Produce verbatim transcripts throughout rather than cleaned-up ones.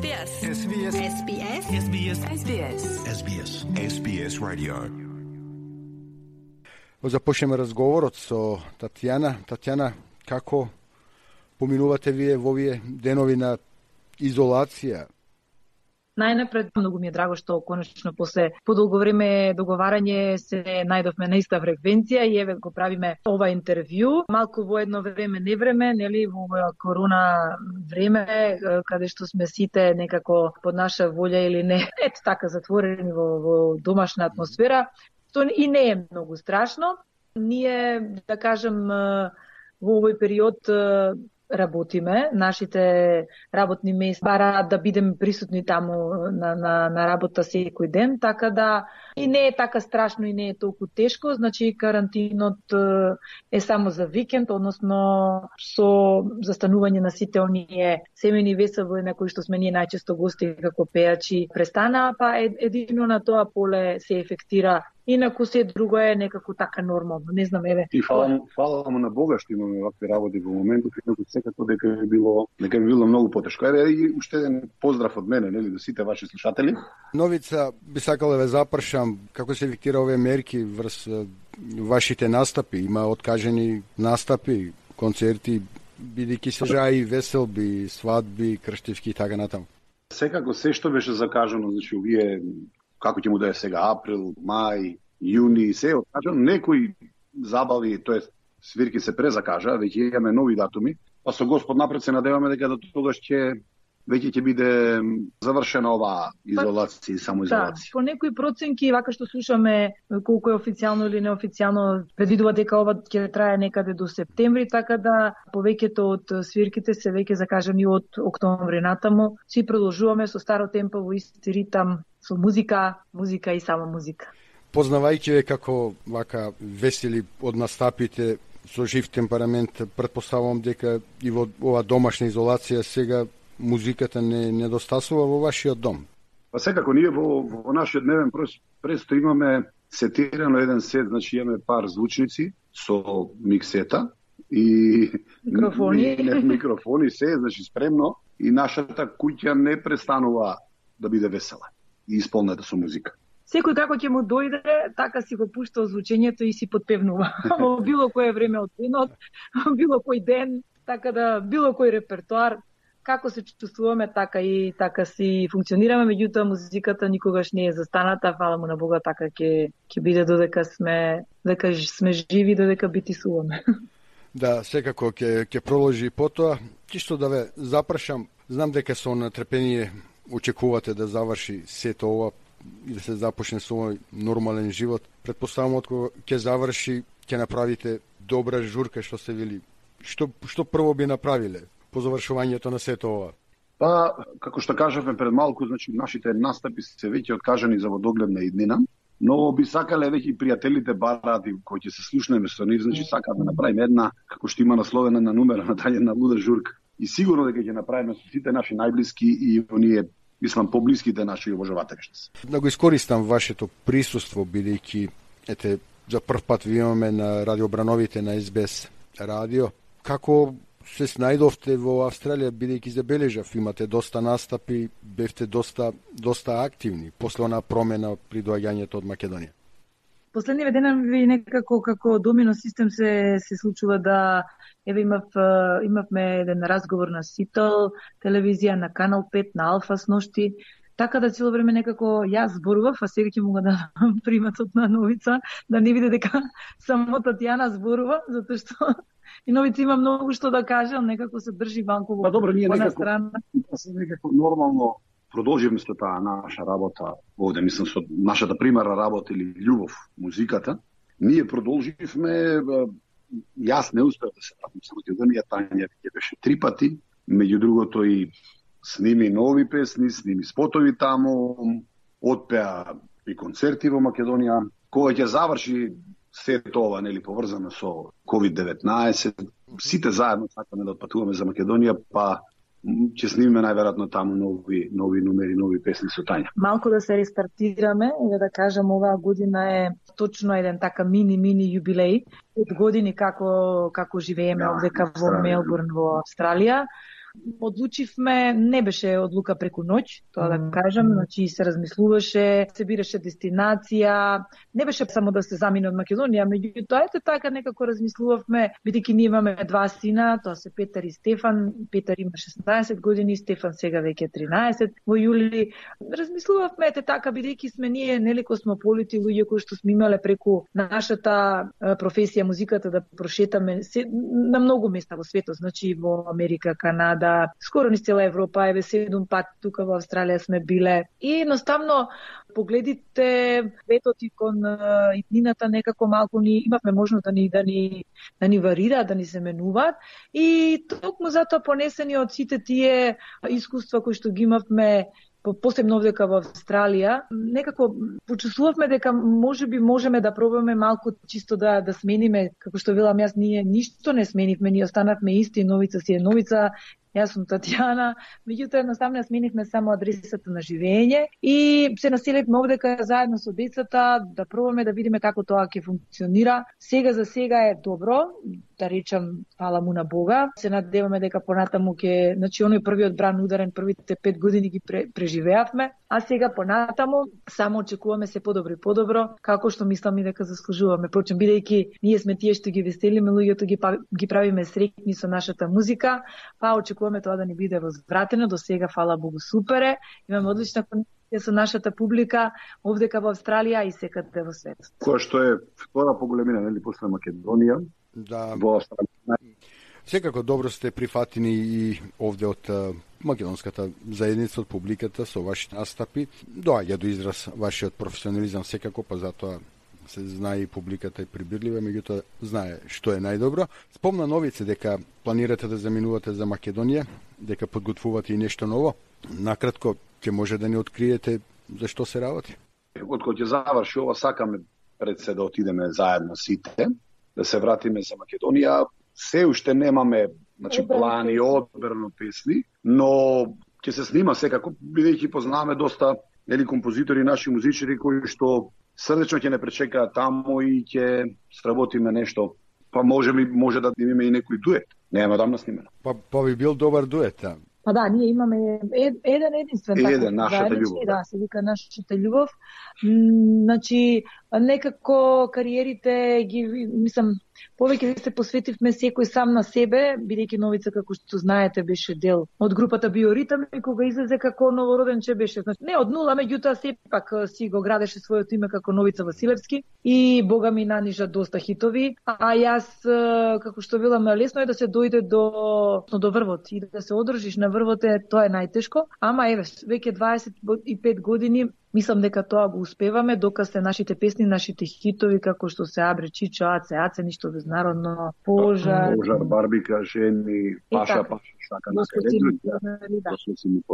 S B S. S B S. S B S. S B S. S B S. S B S. S B S Radio. Започнеме разговорот со Татјана. Татјана, како поминувате вие во овие денови на изолација? Најнапред, многу ми е драго што конечно после подолго време договарање се најдовме на иста фреквенција и еве го правиме ова интервју. Малку во едно време не време, нели, во ова корона време, каде што сме сите некако под наша волја или не, ето така затворени во, во домашна атмосфера, што и не е многу страшно. Ние, да кажем, во овој период работиме, нашите работни места бараат да бидеме присутни таму на, на, на работа секој ден, така да и не е така страшно и не е толку тешко, значи карантинот е само за викенд, односно со застанување на сите оние семејни веселби на кои што сме ние најчесто гости како пејачи престана, па едино на тоа поле се ефектира. Инаку се друго е некако така нормално. Не знам, еве. И фала, фала му на Бога што имаме вакви работи во моментот, инаку секако дека е било, дека е било многу потешко. Еве и уште еден поздрав од мене, нели, до сите ваши слушатели. Новица, би сакал да ве запрашам како се ефектира овие мерки врз вашите настапи. Има откажени настапи, концерти, бидејќи се жаи веселби, свадби, крштевски и така натаму. Секако се што беше закажано, значи овие како ќе му да е сега април, мај, јуни, се откажано, некои забави, тоест свирки се презакажа, веќе имаме нови датуми, па со Господ напред се надеваме дека до тогаш ќе веќе ќе биде завршена оваа изолација и самоизолација. Да, по некои проценки, вака што слушаме колку е официјално или неофицијално, предвидува дека ова ќе трае некаде до септември, така да повеќето од свирките се веќе закажани од октомври натаму. Си продолжуваме со старо темпо во исти ритам, со музика, музика и само музика. Познавајќи ве како вака весели од настапите со жив темперамент, претпоставувам дека и во ова домашна изолација сега музиката не недостасува во вашиот дом. Па секако ние во, во нашиот дневен престо имаме сетирано еден сет, значи имаме пар звучници со миксета и микрофони, не, не, микрофони се, значи спремно, и нашата куќа не престанува да биде весела и исполнета со музика. Секој како ќе му дојде, така си го пушта озвучењето и си подпевнува. Во било кое време од денот, било кој ден, така да било кој репертоар, како се чувствуваме, така и така си функционираме, меѓутоа музиката никогаш не е застаната, фала му на Бога, така ќе ќе биде додека сме дека сме живи, додека битисуваме. Да, секако ќе ќе продолжи потоа. Чисто да ве запрашам, знам дека со нетрпение очекувате да заврши сето ова и да се започне со овој нормален живот. Претпоставам откога ќе заврши, ќе направите добра журка, што се вели. Што што прво би направиле по завршувањето на сето ова? Па, како што кажавме пред малку, значи нашите настапи се веќе откажани за во догледна иднина, но би сакале веќе и пријателите бараат и кои ќе се слушнеме со нив, значи сакаат да направиме една, како што има насловена на номера на тајна луда журка. И сигурно дека ќе направиме со сите наши најблиски и оние, мислам, поблиските наши обожаватели. Да го искористам вашето присуство, бидејќи ете за прв пат ви имаме на радиобрановите на Ес Би Ес радио. Како се снајдовте во Австралија, бидејќи забележав, имате доста настапи, бевте доста доста активни после она промена при доаѓањето од Македонија? Последниве денови некако како домино систем се се случува да еве имав имавме еден разговор на Сител телевизија, на Канал пет, на Алфа сношти, така да цело време некако јас зборував, а сега ќе мога да приматот на Новица, да не биде дека само Татјана зборува, затоа што и Новица има многу што да каже, а некако се држи ванку во па, добро, ние некако, страна. некако нормално продолживме со таа наша работа овде, мислам, со нашата примарна работа или љубов музиката. Ние продолживме, јас не успеав да се вратам со Македонија, Тања ќе беше три пати, меѓу другото и сними нови песни, сними спотови таму, отпеа и концерти во Македонија. Кога ќе заврши сето ова, нели, поврзано со ковид деветнаесет, сите заедно сакаме да отпатуваме за Македонија, па ќе снимиме најверојатно таму нови нови номери, нови песни со Тања. Малку да се рестартираме, и да кажам, оваа година е точно еден така мини мини јубилеј од години како како живееме да, овдека во Мелбурн во Австралија. Одлучивме, не беше одлука преку ноќ, тоа да кажам, значи се размислуваше, се бираше дестинација, не беше само да се замине од Македонија, меѓутоа ете така некако размислувавме, бидејќи ние имаме два сина, тоа се Петар и Стефан. Петар има шеснаесет години, Стефан сега веќе тринаесет во јули. Размислувавме ете така, бидејќи сме ние нели космополити, луѓе кои што сме имале преку нашата професија музиката да прошетаме се, на многу места во светот, значи во Америка, Канада, скоро низ цела Европа, еве седум пат тука во Австралија сме биле. И едноставно погледите светот и кон иднината некако малку ни имавме можност да ни да ни да ни варира, да ни се менуваат и токму затоа понесени од сите тие искуства кои што ги имавме посебно овдека во Австралија, некако почувствувавме дека можеби можеме да пробаме малку чисто да да смениме, како што велам јас, ние ништо не сменивме, ние останавме исти, Новица си е Новица. Јас сум Татјана, меѓутоа едноставно сменивме само адресата на живење и се населивме овдека заедно со децата да пробаме да видиме како тоа ќе функционира. Сега за сега е добро, да речам, фала му на Бога. Се надеваме дека понатаму ќе, значи оној првиот бран ударен првите пет години ги преживеавме, а сега понатаму само очекуваме се подобро и подобро, како што мислам и дека заслужуваме. Прочем, бидејќи ние сме тие што ги веселиме луѓето, ги ги правиме среќни со нашата музика, па очекуваме тоа да ни биде возвратено. До сега, фала Богу, супер е. Имаме одлична конекција со нашата публика овдека во Австралија и секаде во светот. Која што е втора по големина, нели, после Македонија? Да. Во Австралија. Секако добро сте прифатени и овде од македонската заедница, од публиката со вашите настапи. Доаѓа до израз вашиот професионализам секако, па затоа се знае и публиката е прибирлива, меѓутоа знае што е најдобро. Спомна Новице дека планирате да заминувате за Македонија, дека подготвувате и нешто ново. Накратко, ќе може да ни откриете за што се работи? Откако ќе заврши ова, сакаме пред се да отидеме заедно сите, да се вратиме за Македонија. Се уште немаме, значи, плани, одбрано песни, но ќе се снима секако, бидејќи познаваме доста нели композитори, наши музичари кои што срдечно ќе не пречекаат таму и ќе сработиме нешто. Па може би може да имаме и некој дует. Нема да снимено. Па па би бил добар дует, да. Па да, ние имаме ед, еден единствен еден, така, нашата љубов. Да, се вика нашата љубов. Значи, некако кариерите ги, мислам, повеќе се посветивме секој сам на себе, бидејќи Новица, како што знаете, беше дел од групата Биоритам и кога излезе како новороденче беше, значи, не од нула, меѓутоа сепак си го градеше своето име како Новица Василевски и Бога ми нанижа доста хитови, а јас, како што велам, лесно е да се дојде до до врвот и да се одржиш на врвот, е тоа е најтешко, ама еве, веќе дваесет и пет години мислам дека тоа го успеваме, докасе нашите песни, нашите хитови, како што се Абре, Чичо, Аце, Аце, ништо безнародно, Пожар, Пожар, Барбика, Жени, Паша, така. Паша, Шака, на се да.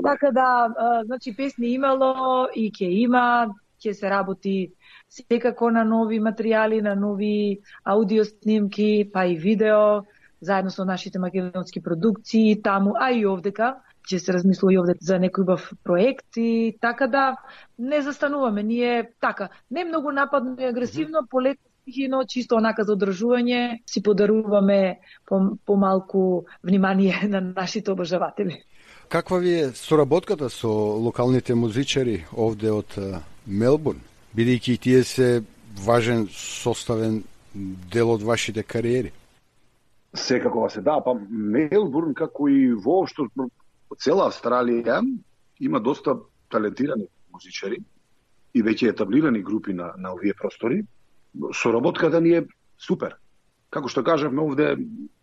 Така да, значи песни имало и ќе има, ќе се работи секако на нови материјали, на нови аудио снимки, па и видео, заедно со нашите македонски продукции таму, а и овдека ќе се размислува и овде за некој бав проект и така да не застануваме. Ние така, не многу нападно и агресивно, полека стихино, чисто онака за одржување, си подаруваме помалку внимание на нашите обожаватели. Каква ви е соработката со локалните музичари овде од Мелбурн, бидејќи тие се важен составен дел од вашите кариери? Секако се да, па Мелбурн, како и воопшто цела Австралија, има доста талентирани музичари и веќе етаблирани групи на, на овие простори. Соработката ни е супер. Како што кажавме, овде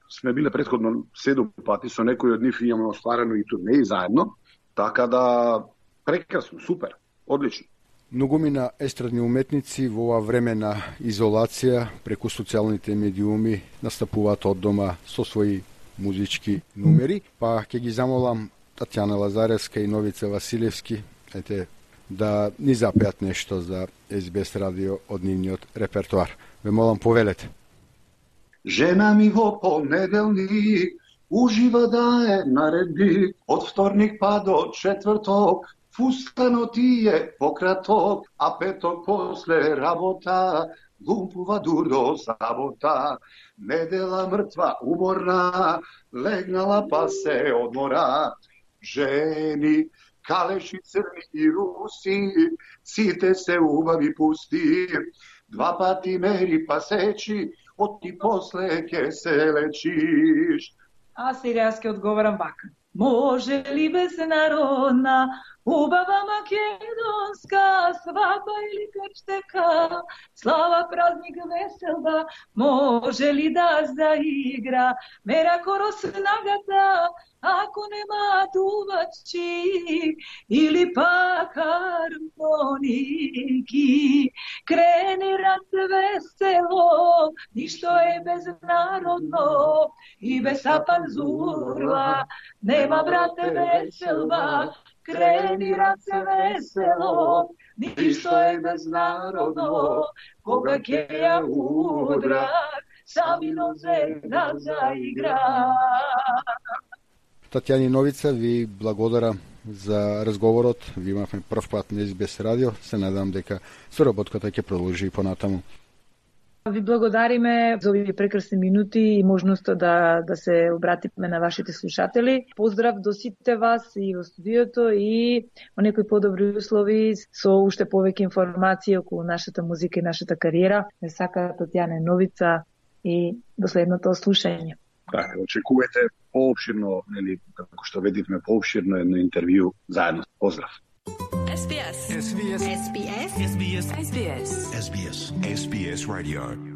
сме биле претходно седум пати, со некои од нив имаме остварено и турнеи заедно, така да прекрасно, супер, одлично. Многумина естрадни уметници во ова време на изолација преку социјалните медиуми настапуваат од дома со своји музички numeri, па ќе ги замолам Татјана Лазаревска и Новица Василевски, ете, да ни запеат нешто за Ес Би Ес радио од нивниот репертоар. Ве молам, повелете. Жена ми во понеделник ужива да е наредби, од вторник па до четврток фустанот ти е пократок, а петок после работа лумпува дурдо сабота, недела мртва, уморна, легнала па се одмора. Жени, калеши црни и руси, сите се убави пусти, два пати мери па сечи, од ти после ке се лечиш. А сега ќе одговарам вака. Може ли безнародна, убава македонска, свадба или крштека, слава празник веселба, може ли да заигра, мера коро снагата, ако нема дувачи, или пак хармоники, крени рад весело, ништо е безнародно, и без апанзурла, нема брате веселба, крени рад весело, ништо е безнародно, кога ќе ја удрак, сами нозе да заигра. Татјани Новица, ви благодарам за разговорот. Ви имавме прв пат на Ес Би Ес радио. Се надам дека соработката ќе продолжи и понатаму. Ви благодариме за овие прекрасни минути и можноста да, да се обратиме на вашите слушатели. Поздрав до сите вас и во студиото и во некои подобри услови со уште повеќе информации околу нашата музика и нашата кариера. Не сака Татјана Новица и до следното слушање. Така, очекувате поопширно, нели, како што видивме, поопширно едно интервју заедно. Поздрав. Ес Би Ес. Ес Би Ес. Ес Би Ес. Ес Би Ес. Ес Би Ес. Ес Би Ес Radio.